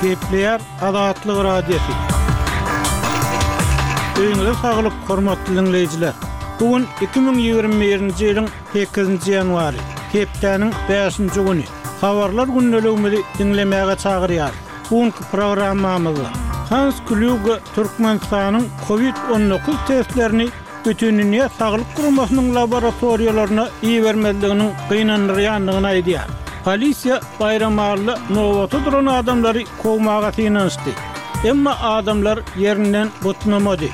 Gepleýär Azatlyk Radiosy. Öýüňize saglyk, hormatly diňleýjiler! Bu gün 2021-nji ýylyň sekizinji ýanwary, hepdäniň bäşinji güni. Habarlar gündeligimizi diňlemäge çagyrýarys. Bu günki programmamyzda Hans Klýuge Türkmenistanyň Covid 19 testlerini Bütindünýä Saglyk Guramasynyň laboratoriýalaryna ibermezliginiň gynandyrýandygyny aýdýar. Polisiýa Baýramalyda nobata duran adamlary kowmaga synanyşdy. Emma adamlar ýerinden butnamady.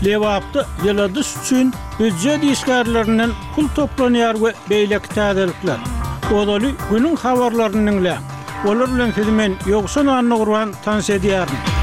Lebapda ýyladyş üçin býujet işgärlerinden pul toplanýar we beýleki täzelikler. Ozaly günüň habarlaryny diňläň. Olar bilen sizi men, Ýowşan Annagurban tanyş edýärin.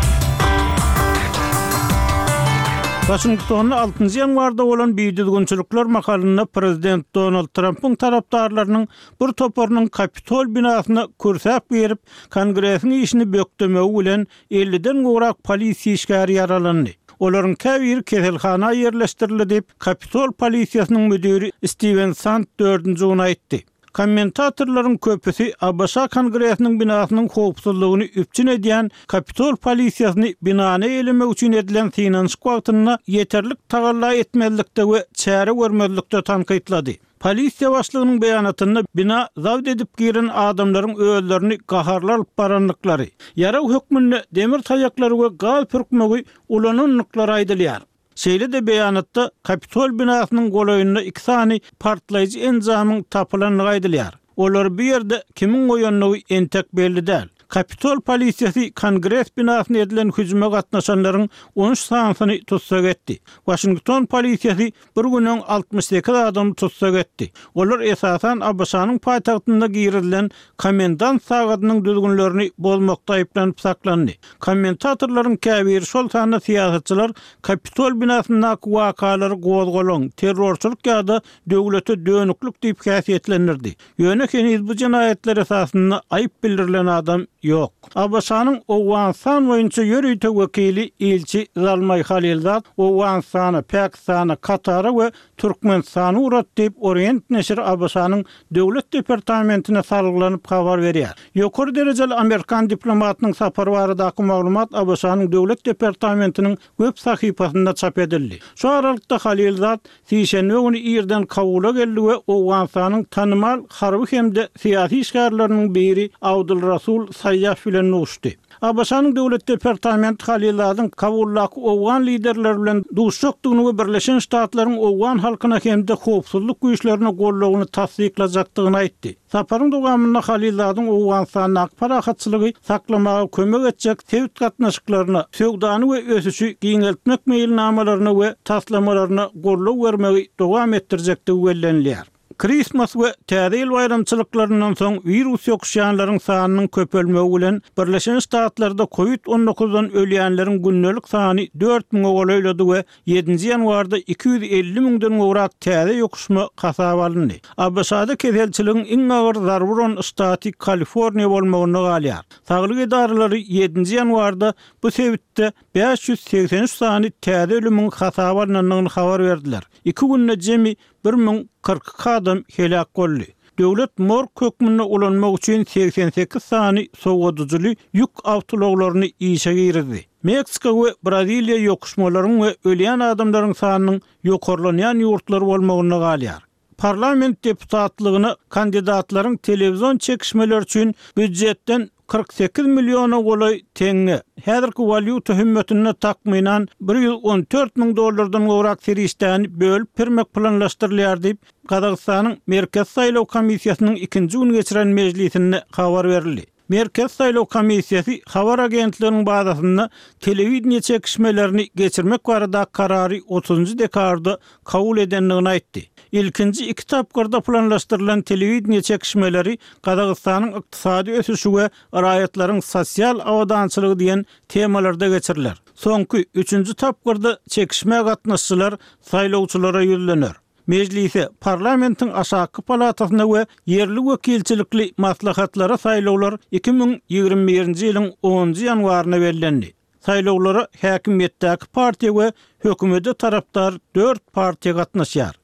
Waşingtonda altynjy ýanwarda bolan bidüzgünçilikler mahalynda prezident Donald Trampyň tarapdarlarynyň bir toparynyň Kapitol binasyna kürsäp girip, Kongresiň işini bökdemegi bilen elliden gowrak polisiýa işgäri ýaralandy. Olaryň käbiri keselhana ýerleşdirildi diýip, Kapitol polisiýasynyň müdiri Stiwen Sand dördünji gün aýtdy. Kommentatorlaryň köpüsi ABŞ Kongresiniň binasynyň howpsuzlygyny üpjün edýän Kapitol polisiýasyny binany eýelemek üçin edilen synanyşyk wagtynda ýeterlik tagalla etmezlikde we çäre görmezlikde tankytlady. Polisiýa başlygynyň beýanatynda bina zabt edip giren adamlaryň özlerini gaharly alyp barandyklary, ýarag hökmünde demir taýaklary we gaz pürkmegi ulanandyklary aýdylýar. Şeýle-de beýanatda Kapitol binasynyň golaýynda iki sany partlaýjy enjamyň tapylandygy aýdylýar. Olary bu ýerde kimiň goýandygy entek belli däl. Kapitol polisiýasy Kongres binasyna edilen hüjüme gatnaşanlaryň 13 sanysyny tussag etdi. Waşington polisiýasy bir gün öň 68 adamy tussag etdi. Olar esasan ABŞ-nyň paýtagtynda girizilen komendant sagadynyň düzgünlerini bozmakda aýyplanyp saklandy. Kommentatorlaryň käbiri, şol sanda syýasatçylar Kapitol binasyndaky wakalary gozgalaň, terrorçylyk ýa-da döwlete dönüklik diýip häsiýetlendirdi. Ýöne heniz bu jenaýatlar esasynda aýyp bildirilen adam ýok. ABŞ-nyň Owganystan boýunça ýörite wekili ilçi Zalmaý Halilzad Owganystana, Pakistana, Katara we Türkmenistana ugratdy diýip, Orient neşiri ABŞ-nyň Döwlet departamentine salgylanyp habar berýär. Ýokary derejeli amerikan diplomatynyň sapary baradaky maglumat ABŞ-nyň Döwlet departamentiniň web sahypasynda çap edildi. Şu aralykda Halilzad sişenbe güni irden Kabula geldi we Owganystanyň tanymal harby hem-de syýasy işgärleriniň biri Abdul Rasul Saýýaf bilen duşdy. ABŞ-nyň Döwlet departamenti Haliladyň Kabuldaky owgan liderleri bilen duşjakdygyny we Birleşen Ştatlaryň owgan halkyna hem-de howpsuzlyk güýçlerine goldawyny tassyklajakdygyny aýtdy. Saparyň dowamynda Haliladyň Owganystandaky parahatçylygy saklamaga kömek etjek sebit gatnaşyklaryna, söwdany we ösüşi giňeltmek meýilnamalaryna we taslamalaryna goldaw bermegi dowam etdirjekdigi bellenilýär. Kristmas we Täze ýyl baýramçylyklaryndan soň wirus ýokuşýanlaryň sanynyň köpelmegi bilen, Birleşen Ştatlarda kowid on dokuzdan ölýänleriň gündelik sany dört müňe golaýlady we ýedinji ýanwarda 250 müňden gowrak täze ýokuşma hasaba alyndy. ABŞ-da keselçiligiň iň agyr zarba uran ştaty Kaliforniýa bolmagynda galýar. Saglyk edaralary ýedinji ýanwarda bu sebitde 583 sany täze ölümiň hasaba alnandygyny habar berdiler. Iki günde jemi 1042 adam heläk boldy. Döwlet morg hökmünde ulanmak üçin 88 sany sowadyjyly ýük awtoulaglaryny işe girizdi. Meksika we Braziliýa ýokuşmalaryň we ölýän adamlaryň sanynyň ýokarlanýan ýurtlar bolmagynda galýar. Parlament deputatlygyna kandidatlaryň telewizion çekişmeleri üçin býujetden 48 milliona golaý teňňe, häzirki walýuta hümmetinde takmynan 114 müň dollardan gowrak serişdäni bölüp bermek planlaşdyrylýar diýip, Gazagystanyň Merkezi saýlaw komissiýasynyň ikinji gün geçiren mejlisinde habar berildi. Merkezi saýlaw komissiýasy habar agentliginiň bazasynda telewideniýe çekişmelerini geçirmek baradaky karary otuzynjy dekabrda kabul edendigini aýtdy. Ilkinji iki tapgyrda planlaşdyrylan telewideniýe çekişmeleri Gazagystanyň ykdysady ösüşi we raýatlaryň sosial abadançylygy diýen temalarda geçiriler. Soňky, üçünji tapgyrda çekişmä gatnaşyjylar saýlawçylara ýüzlener. Mejlise, parlamentiň aşakky palatasyna we ýerli wekilçilikli maslahatlara saýlawlar 2021-nji ýylyň onunjy ýanwaryna bellendi. Saýlawlara häkimiýetdäki partiýa we hökümete tarapdar dört partiýa gatnaşýar.